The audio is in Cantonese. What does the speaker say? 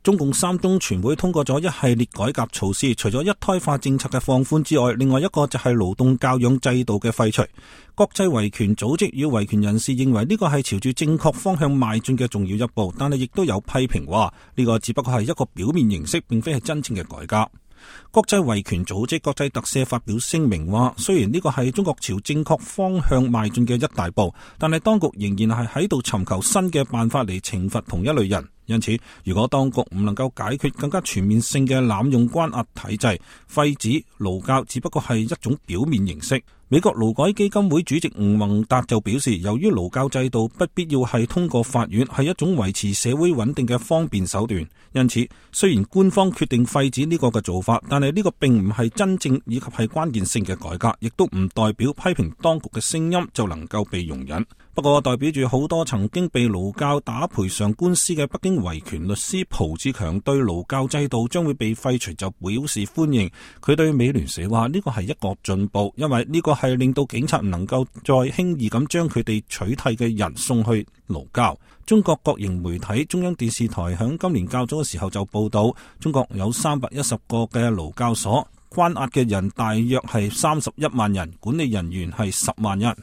中共三中全會通過咗一系列改革措施，除咗一胎化政策嘅放寬之外，另外一個就係勞動教養制度嘅廢除。國際維權組織與維權人士認為呢個係朝住正確方向邁進嘅重要一步，但係亦都有批評話呢個只不過係一個表面形式，並非係真正嘅改革。國際維權組織國際特赦發表聲明話，雖然呢個係中國朝正確方向邁進嘅一大步，但係當局仍然係喺度尋求新嘅辦法嚟懲罰同一類人。因此，如果當局唔能夠解決更加全面性嘅濫用關押體制，廢止勞教只不過係一種表面形式。美國勞改基金會主席吳宏達就表示，由於勞教制度不必要係通過法院，係一種維持社會穩定嘅方便手段。因此，雖然官方決定廢止呢個嘅做法，但係呢個並唔係真正以及係關鍵性嘅改革，亦都唔代表批評當局嘅聲音就能夠被容忍。不過，代表住好多曾經被勞教打賠償官司嘅北京維權律師蒲志強對勞教制度將會被廢除就表示歡迎。佢對美聯社話：呢個係一個進步，因為呢個係令到警察唔能夠再輕易咁將佢哋取締嘅人送去勞教。中國國營媒體中央電視台響今年較早嘅時候就報道，中國有310個嘅勞教所，關押嘅人大約係31萬人，管理人員係10萬人。